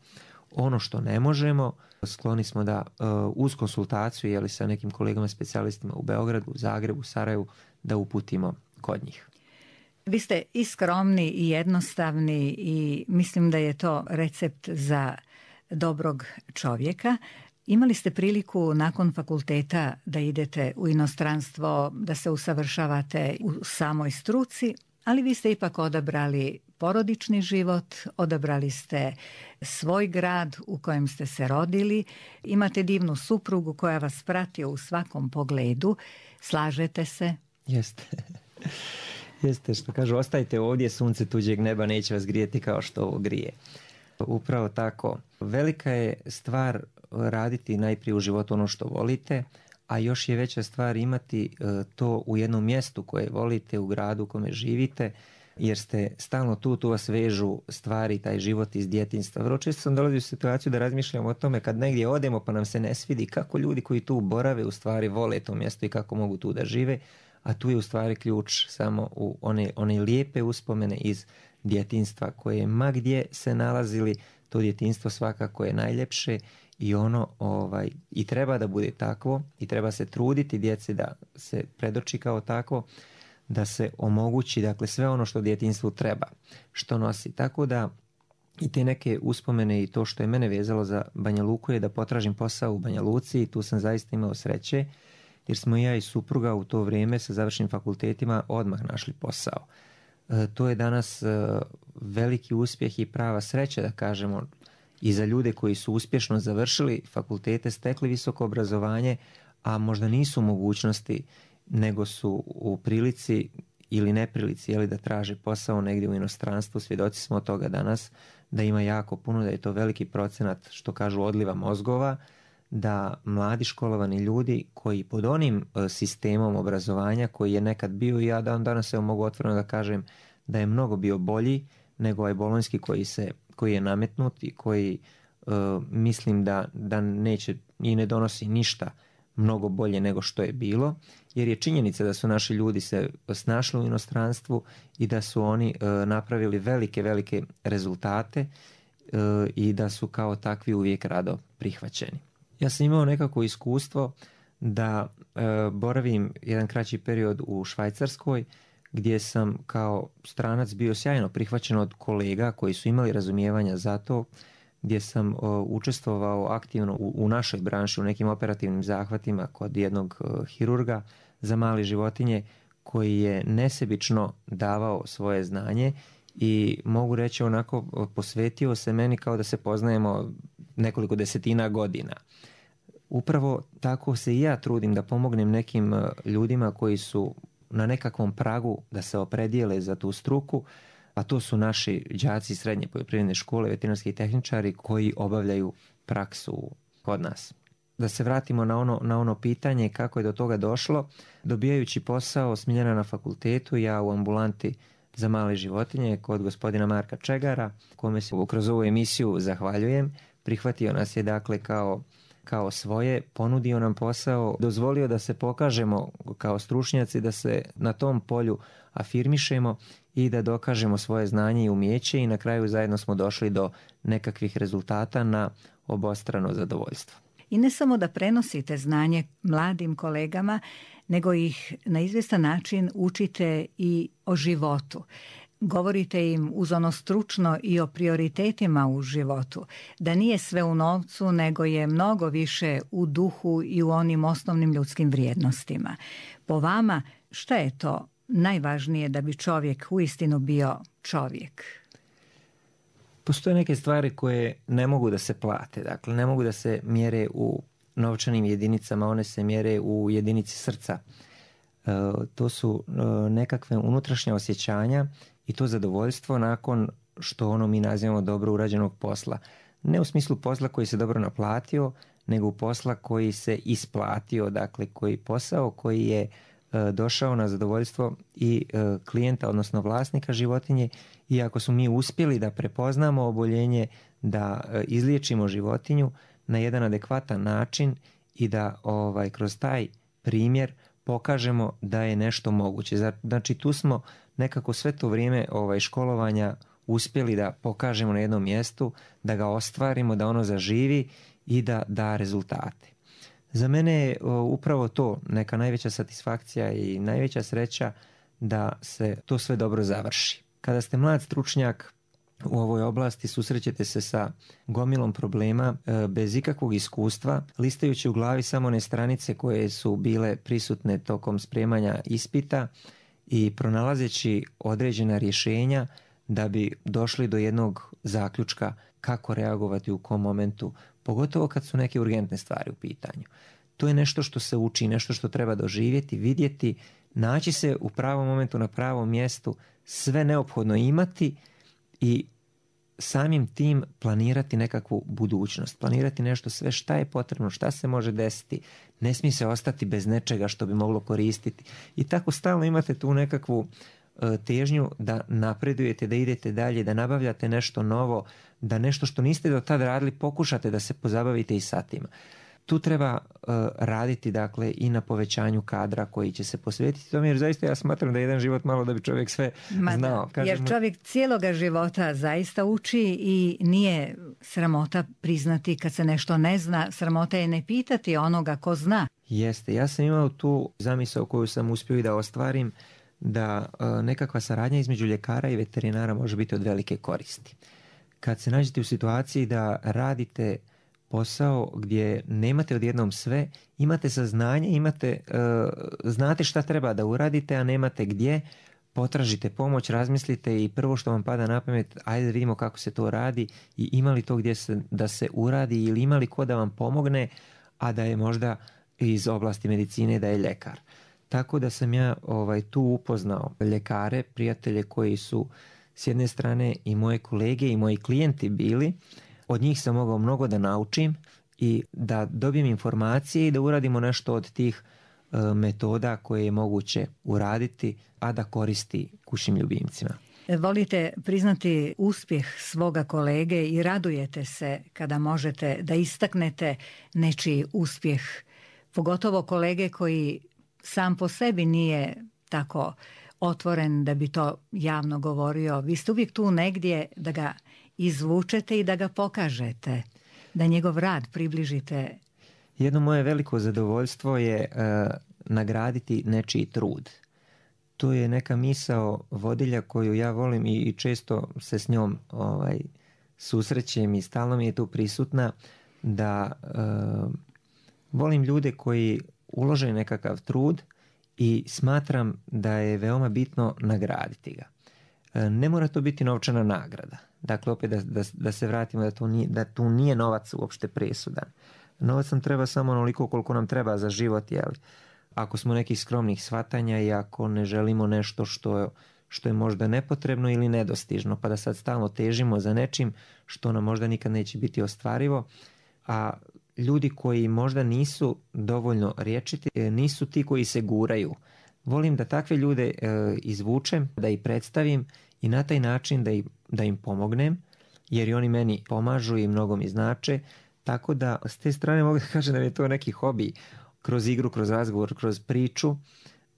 Ono što ne možemo, skloni smo da uz konsultaciju sa nekim kolegama specijalistima u Beogradu, Zagrebu, Sarajevu da uputimo kod njih. Vi ste i skromni i jednostavni i mislim da je to recept za dobrog čovjeka. Imali ste priliku nakon fakulteta da idete u inostranstvo, da se usavršavate u samoj struci, ali vi ste ipak odabrali porodični život, odabrali ste svoj grad u kojem ste se rodili, imate divnu suprugu koja vas prati u svakom pogledu, slažete se? Jeste. Jeste, što kažu, ostajte ovdje, sunce tuđeg neba neće vas grijeti kao što ovo grije. Upravo tako. Velika je stvar raditi najprije u životu ono što volite, a još je veća stvar imati to u jednom mjestu koje volite, u gradu u kome živite, jer ste stalno tu vas vežu stvari, taj život iz djetinjstva. Vrlo često sam dolazio u situaciju da razmišljam o tome kad negdje odemo pa nam se ne svidi kako ljudi koji tu borave u stvari vole to mjesto i kako mogu tu da žive, a tu je u stvari ključ samo u one lijepe uspomene iz djetinjstva koje ma gdje se nalazili, to djetinjstvo svakako je najljepše i ono i treba da bude takvo i treba se truditi djeci da se predoči kao takvo, da se omogući dakle sve ono što djetinjstvu treba, što nosi. Tako da i te neke uspomene i to što je mene vezalo za Banja Luku je da potražim posao u Banja Luci i tu sam zaista imao sreće jer smo ja i supruga u to vrijeme sa završenim fakultetima odmah našli posao. To je danas veliki uspjeh i prava sreća, da kažemo, i za ljude koji su uspješno završili fakultete, stekli visoko obrazovanje, a možda nisu u mogućnosti, nego su u prilici ili neprilici da traže posao negdje u inostranstvu. Svjedoci smo od toga danas da ima jako puno, da je to veliki procenat, što kažu, odliva mozgova, da mladi školovani ljudi koji pod onim sistemom obrazovanja koji je nekad bio, i ja danas mogu otvoreno da kažem da je mnogo bio bolji nego ovaj bolonjski koji je nametnut i koji mislim da neće i ne donosi ništa mnogo bolje nego što je bilo, jer je činjenica da su naši ljudi se snašli u inostranstvu i da su oni napravili velike rezultate i da su kao takvi uvijek rado prihvaćeni. Ja sam imao nekako iskustvo da boravim jedan kraći period u Švajcarskoj, gdje sam kao stranac bio sjajno prihvaćen od kolega koji su imali razumijevanja za to, gdje sam učestvovao aktivno u našoj branši, u nekim operativnim zahvatima kod jednog hirurga za male životinje koji je nesebično davao svoje znanje i mogu reći onako posvetio se meni kao da se poznajemo nekoliko desetina godina. Upravo tako se i ja trudim da pomognem nekim ljudima koji su na nekakvom pragu da se opredijele za tu struku, a to su naši đaci srednje poljoprivredne škole, veterinarski tehničari koji obavljaju praksu kod nas. Da se vratimo na ono pitanje kako je do toga došlo. Dobijajući posao Smiljana na fakultetu, ja u ambulanti za male životinje kod gospodina Marka Čegara, kome se kroz ovu emisiju zahvaljujem, prihvatio nas je dakle kao svoje, ponudio nam posao, dozvolio da se pokažemo kao stručnjaci, da se na tom polju afirmišemo i da dokažemo svoje znanje i umijeće i na kraju zajedno smo došli do nekakvih rezultata na obostrano zadovoljstvo. I ne samo da prenosite znanje mladim kolegama, nego ih na izvjestan način učite i o životu. Govorite im uz ono stručno i o prioritetima u životu, da nije sve u novcu, nego je mnogo više u duhu i u onim osnovnim ljudskim vrijednostima. Po vama, šta je to najvažnije da bi čovjek uistinu bio čovjek? Postoje neke stvari koje ne mogu da se plate, dakle ne mogu da se mjere u novčanim jedinicama, one se mjere u jedinici srca. To su nekakve unutrašnja osjećanja i to zadovoljstvo nakon što mi nazivamo dobro urađenog posla. Ne u smislu posla koji se dobro naplatio, nego u posla koji se isplatio, dakle posao koji je došao na zadovoljstvo i klijenta, odnosno vlasnika životinje, i ako smo mi uspjeli da prepoznamo oboljenje, da izliječimo životinju na jedan adekvatan način i da kroz taj primjer pokažemo da je nešto moguće. Znači tu smo nekako sve to vrijeme školovanja uspjeli da pokažemo na jednom mjestu, da ga ostvarimo, da ono zaživi i da da rezultate. Za mene je upravo to neka najveća satisfakcija i najveća sreća da se to sve dobro završi. Kada ste mlad stručnjak, u ovoj oblasti susrećete se sa gomilom problema bez ikakvog iskustva, listajući u glavi samo one stranice koje su bile prisutne tokom spremanja ispita i pronalazeći određena rješenja da bi došli do jednog zaključka kako reagovati u kom momentu, pogotovo kad su neke urgentne stvari u pitanju. To je nešto što se uči, nešto što treba doživjeti, vidjeti, naći se u pravom momentu na pravom mjestu, sve neophodno imati i samim tim planirati nekakvu budućnost, planirati nešto sve šta je potrebno, šta se može desiti, ne smije se ostati bez nečega što bi moglo koristiti. I tako stalno imate tu nekakvu težnju da napredujete, da idete dalje, da nabavljate nešto novo, da nešto što niste do tada radili pokušate da se pozabavite i sa tim. Tu treba raditi dakle i na povećanju kadra koji će se posvetiti tome, jer zaista ja smatram da je jedan život malo da bi čovjek sve znao. Jer čovjek cijeloga života zaista uči i nije sramota priznati kad se nešto ne zna, sramota je ne pitati onoga ko zna. Jeste, ja sam imao tu zamisao koju sam uspio i da ostvarim, da nekakva saradnja između ljekara i veterinara može biti od velike koristi. Kad se nađete u situaciji da radite posao gdje nemate odjednom sve, imate saznanje, znate šta treba da uradite, a nemate gdje, potražite pomoć, razmislite i prvo što vam pada na pamet, ajde da vidimo kako se to radi i ima li to gdje da se uradi ili ima li ko da vam pomogne, a da je možda iz oblasti medicine, da je ljekar. Tako da sam ja tu upoznao ljekare, prijatelje koji su s jedne strane i moje kolege i moji klijenti bili. Od njih sam mogao mnogo da naučim i da dobijem informacije i da uradimo nešto od tih metoda koje je moguće uraditi, a da koristi kućnim ljubimcima. Volite priznati uspjeh svoga kolege i radujete se kada možete da istaknete nečiji uspjeh, pogotovo kolege koji sam po sebi nije tako otvoren da bi to javno govorio. Vi ste uvijek tu negdje da ga izvučete i da ga pokažete, da njegov rad približite. Jedno moje veliko zadovoljstvo je nagraditi nečiji trud. To je neka misao vodilja koju ja volim i često se s njom susrećem i stalno mi je tu prisutna, da volim ljude koji ulože nekakav trud i smatram da je veoma bitno nagraditi ga. Ne mora to biti novčana nagrada. Dakle, opet da se vratimo da tu nije novac uopšte presudan. Novac nam treba samo onoliko koliko nam treba za život, ako smo nekih skromnih shvatanja i ako ne želimo nešto što je možda nepotrebno ili nedostižno, pa da sad stalno težimo za nečim što nam možda nikad neće biti ostvarivo, a ljudi koji možda nisu dovoljno rječiti, nisu ti koji se guraju. Volim da takve ljude izvučem, da ih predstavim i na taj način da im pomognem, jer i oni meni pomažu i mnogo mi znače, tako da s te strane mogu da kažem da mi je to neki hobi, kroz igru, kroz razgovor, kroz priču.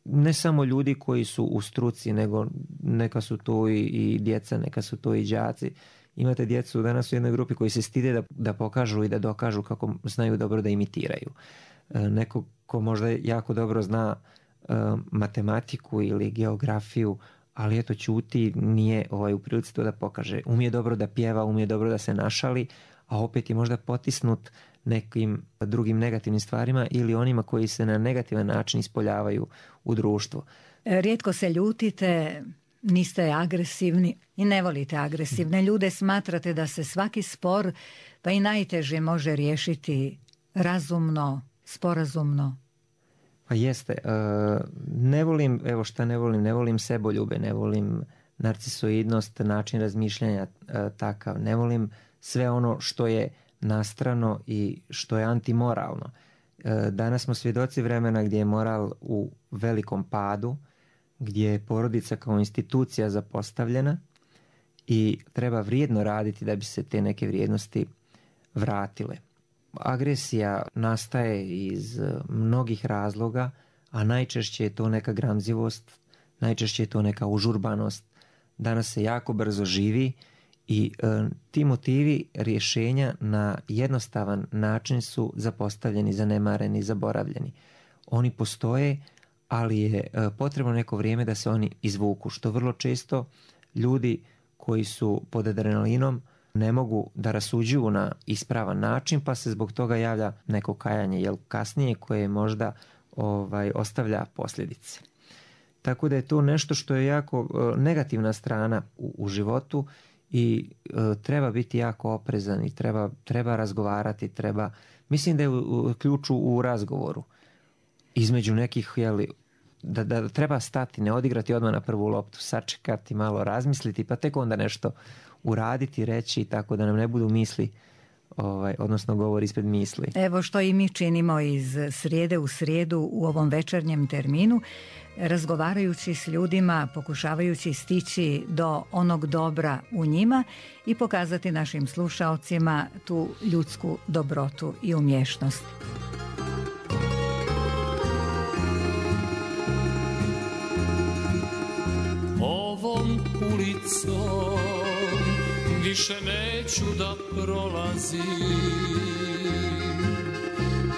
Ne samo ljudi koji su u struci, nego neka su to i djeca, neka su to i đaci. Imate djecu danas u jednoj grupi koji se stide da pokažu i da dokažu kako znaju dobro da imitiraju. Neko ko možda jako dobro zna matematiku ili geografiju, ali eto ćuti, nije u prilici to da pokaže. Umije dobro da pjeva, umije dobro da se našali, a opet je možda potisnut nekim drugim negativnim stvarima ili onima koji se na negativan način ispoljavaju u društvu. Rijetko se ljutite, niste agresivni i ne volite agresivne ljude, smatrate da se svaki spor, pa i najteže, može riješiti razumno, sporazumno. Pa jeste. Ne volim, ne volim seboljube, ne volim narcisoidnost, način razmišljanja takav, ne volim sve ono što je nastrano i što je antimoralno. Danas smo svjedoci vremena gdje je moral u velikom padu, gdje je porodica kao institucija zapostavljena i treba vrijedno raditi da bi se te neke vrijednosti vratile. Agresija nastaje iz mnogih razloga, a najčešće je to neka gramzivost, najčešće je to neka užurbanost. Danas se jako brzo živi i ti motivi rješenja na jednostavan način su zapostavljeni, zanemareni, zaboravljeni. Oni postoje, ali je potrebno neko vrijeme da se oni izvuku, što vrlo često ljudi koji su pod adrenalinom, ne mogu da rasuđuju na ispravan način, pa se zbog toga javlja neko kajanje, jel kasnije koje možda ostavlja posljedice. Tako da je to nešto što je jako negativna strana u životu i treba biti jako oprezan i treba razgovarati, mislim da je ključ u razgovoru između nekih, da treba stati, ne odigrati odmah na prvu loptu, sačekati, malo razmisliti, pa tek onda nešto uraditi, reći, tako da nam ne budu misli, odnosno govor ispred misli. Evo što i mi činimo iz srijede u srijedu u ovom večernjem terminu, razgovarajući s ljudima, pokušavajući stići do onog dobra u njima i pokazati našim slušaocima tu ljudsku dobrotu i umješnost. Ovom ulicom više neću da prolazim,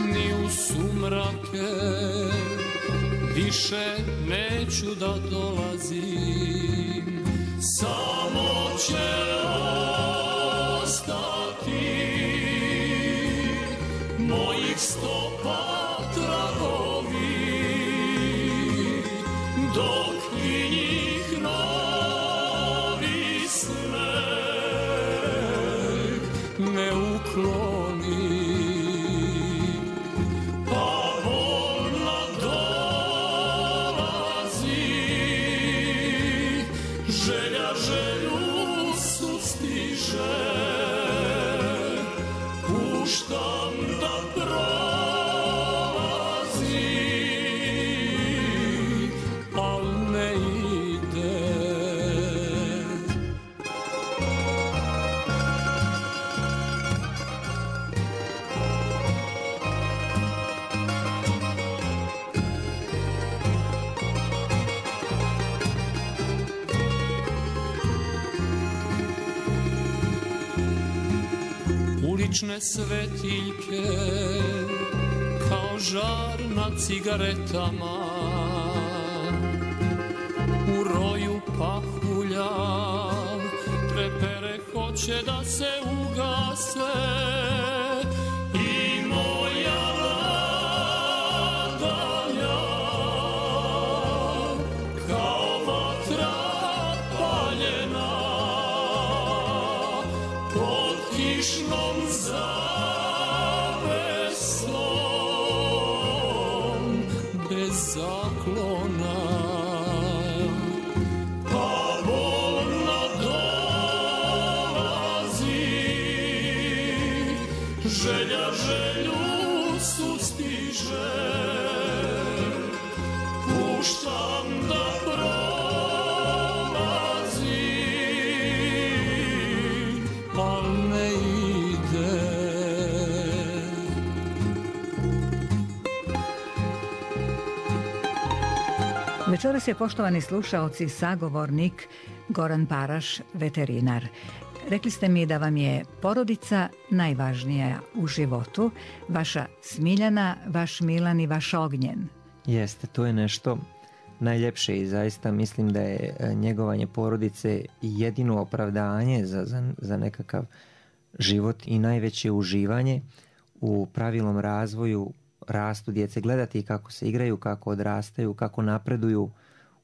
ni u sumrake više neću da dolazim. Samo će ostati mojih stopa tragovi, dok i njih novi sneg ne ukloni. Pa bolna dolazi, želja želju sustiže, puštam da prolazi, al ne ide. Ulične svetiljke kao žar na cigaretama, u roju pahulja trepere hoće da se ugase. I moja nadalja kao vatra paljena pod kišnom zavesom bez zaklona. Pa bolna dolazi, želja želju sustiže, puštam da prolazi, al ne ide. Večeras je, poštovani slušaoci, sagovornik Goran Paraš, veterinar. Rekli ste mi da vam je porodica najvažnija u životu, vaša Smiljana, vaš Milan i vaš Ognjen. Jeste, to je nešto najljepše i zaista mislim da je njegovanje porodice jedino opravdanje za nekakav život i najveće uživanje u pravilnom razvoju, rastu djece, gledati kako se igraju, kako odrastaju, kako napreduju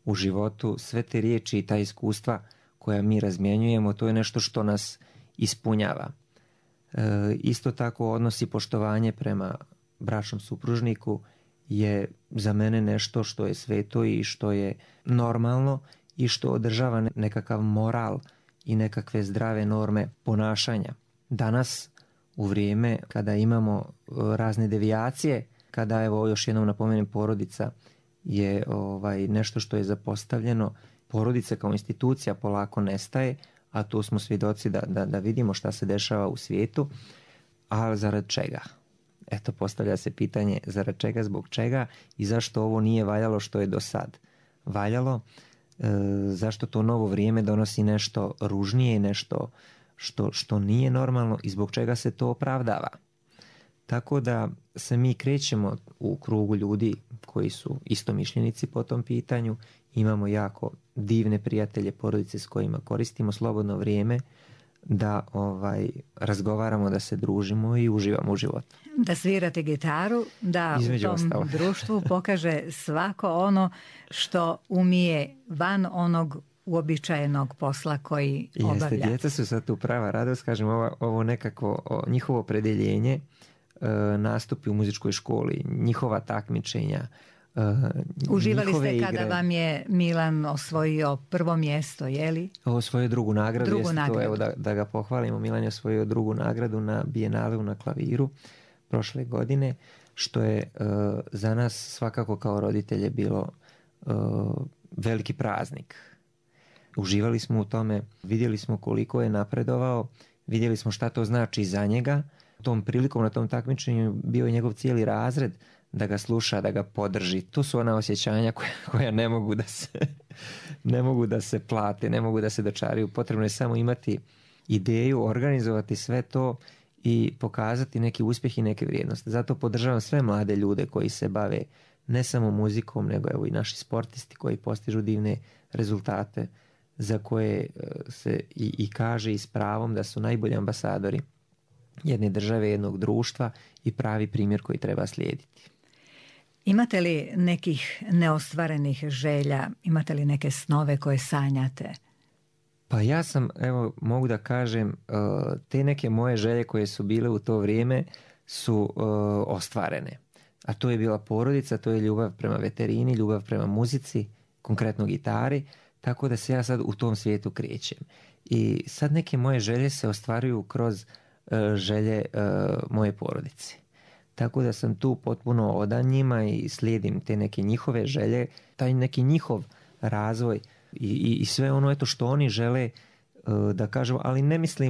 u životu. Sve te riječi i ta iskustva koja mi razmjenjujemo, to je nešto što nas ispunjava. Isto tako odnos i poštovanje prema bračnom supružniku je za mene nešto što je sveto i što je normalno i što održava nekakav moral i nekakve zdrave norme ponašanja. Danas, u vrijeme kada imamo razne devijacije, kada, evo još jednom napomenem, porodica je nešto što je zapostavljeno, porodica kao institucija polako nestaje, a tu smo svjedoci da vidimo šta se dešava u svijetu, a zarad čega? Eto, postavlja se pitanje zarad čega, zbog čega i zašto ovo nije valjalo što je do sad valjalo, zašto to novo vrijeme donosi nešto ružnije, nešto što nije normalno i zbog čega se to opravdava. Tako da se mi krećemo u krugu ljudi koji su istomišljenici po tom pitanju. Imamo jako divne prijatelje, porodice s kojima koristimo slobodno vrijeme da razgovaramo, da se družimo i uživamo u životu. Da svirate gitaru, da Između u tom ostalo. društvu pokaže svako ono što umije van onog uobičajenog posla koji obavlja. Jeste, djeca su sad tu prava radost, kažem, ovo nekako njihovo opredjeljenje, nastupi u muzičkoj školi, njihova takmičenja, Uživali njihove ste kada igre. vam je Milan osvojio prvo mjesto, je li? Osvojio drugu nagradu, Drugu jeste nagradu. to, evo da ga pohvalimo, Milan je osvojio drugu nagradu na Bijenaleu na klaviru prošle godine, što je za nas svakako kao roditelje bilo veliki praznik. Uživali smo u tome, vidjeli smo koliko je napredovao, vidjeli smo šta to znači za njega. Tom prilikom na tom takmičenju bio je njegov cijeli razred da ga sluša, da ga podrži. To su ona osjećanja koja ne mogu da se plate, ne mogu da se dočaraju. Potrebno je samo imati ideju, organizovati sve to i pokazati neki uspjeh i neke vrijednosti. Zato podržavam sve mlade ljude koji se bave ne samo muzikom, nego evo i naši sportisti koji postižu divne rezultate, za koje se i kaže i s pravom da su najbolji ambasadori jedne države, jednog društva i pravi primjer koji treba slijediti. Imate li nekih neostvarenih želja? Imate li neke snove koje sanjate? Pa ja sam, evo, mogu da kažem, te neke moje želje koje su bile u to vrijeme su ostvarene. A to je bila porodica, to je ljubav prema veterini, ljubav prema muzici, konkretno gitari, tako da se ja sad u tom svijetu krećem. I sad neke moje želje se ostvaruju kroz želje moje porodice. Tako da sam tu potpuno odan njima i slijedim te neke njihove želje, taj neki njihov razvoj i sve ono eto što oni žele da kažem, ali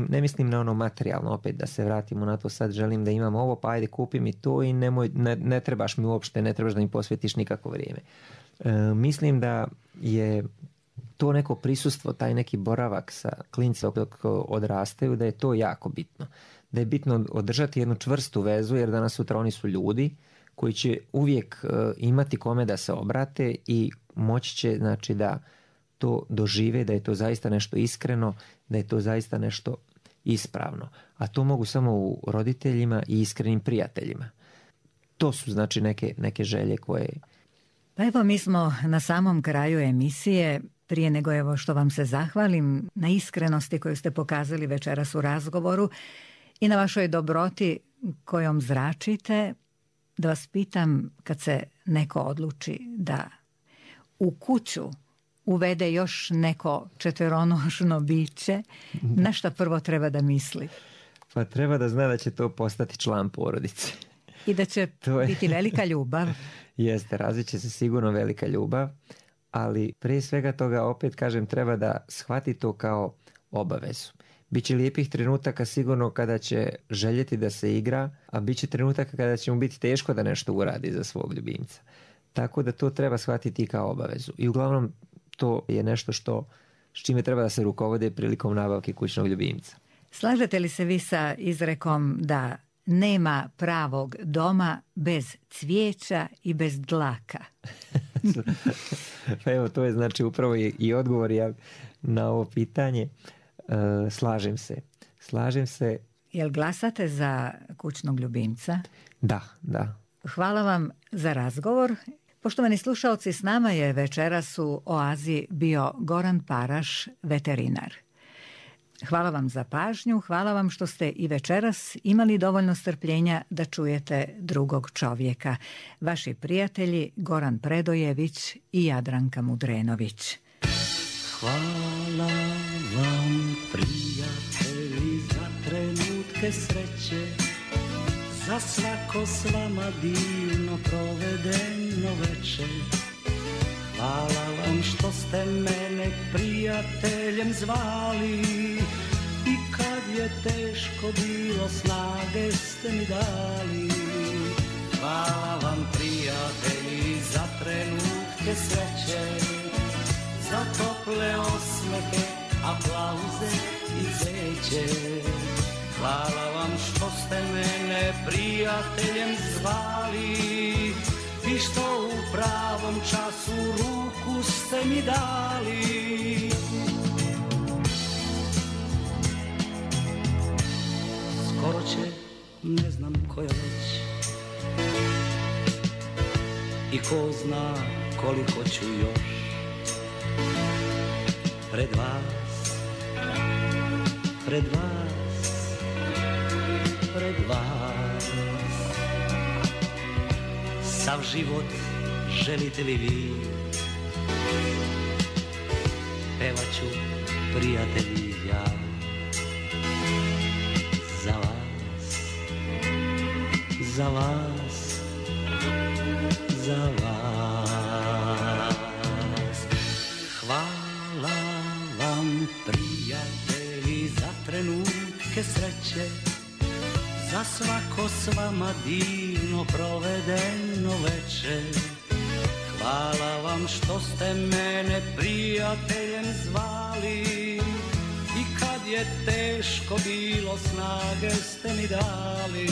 ne mislim na ono materijalno, opet da se vratimo na to, sad želim da imam ovo, pa ajde kupi mi to i ne trebaš mi uopšte, ne trebaš da mi posvetiš nikako vrijeme. Mislim da je to neko prisustvo, taj neki boravak sa klincima dok odrastaju, da je to jako bitno. Da je bitno održati jednu čvrstu vezu, jer danas sutra oni su ljudi koji će uvijek imati kome da se obrate i moći će, znači, da to dožive, da je to zaista nešto iskreno, da je to zaista nešto ispravno. A to mogu samo u roditeljima i iskrenim prijateljima. To su, znači, neke želje koje... Pa evo, mi smo na samom kraju emisije. Prije nego evo što vam se zahvalim na iskrenosti koju ste pokazali večeras u razgovoru i na vašoj dobroti kojom zračite, da vas pitam, kad se neko odluči da u kuću uvede još neko četveronošno biće, na šta prvo treba da misli? Pa treba da zna da će to postati član porodice. I da će biti velika ljubav. Jeste, razvit će se sigurno velika ljubav, ali prije svega toga, opet kažem, treba da shvati to kao obavezu. Biće lijepih trenutaka sigurno kada će željeti da se igra, a bit će trenutaka kada će mu biti teško da nešto uradi za svog ljubimca. Tako da to treba shvatiti kao obavezu. I uglavnom to je nešto s čime treba da se rukovode prilikom nabavke kućnog ljubimca. Slažete li se vi sa izrekom da nema pravog doma bez cvijeća i bez dlaka? Pa evo, to je znači upravo i odgovor na ovo pitanje. Slažem se. Jel glasate za kućnog ljubimca? Da. Hvala vam za razgovor. Poštovani slušalci, s nama je večeras u Oazi bio Goran Paraš, veterinar. Hvala vam za pažnju, hvala vam što ste i večeras imali dovoljno strpljenja da čujete drugog čovjeka. Vaši prijatelji Goran Predojević i Jadranka Mudrenović. Hvala vam, prijatelji, za trenutke sreće, za svako s vama divno provedeno večer. Hvala vam što ste mene prijateljem zvali i kad je teško bilo snage ste mi dali. Hvala vam, prijatelji, za trenutke sreće, za tople osmehe, aplauze i zeće. Hvala vam što ste ste mene prijateljem zvali i što u pravom času ruku ste mi dali. Skoro će, ne znam koja već, i ko zna koliko ću još pred vas, pred vas, pred vas. Sav život želite li vi, pevat ću prijatelji ja za vas, za vas, za vas. Hvala vam prijatelji za trenutke sreće, za svako s vama divno provedeno večer. Hvala vam što ste mene prijateljem zvali i kad je teško bilo snage ste mi dali.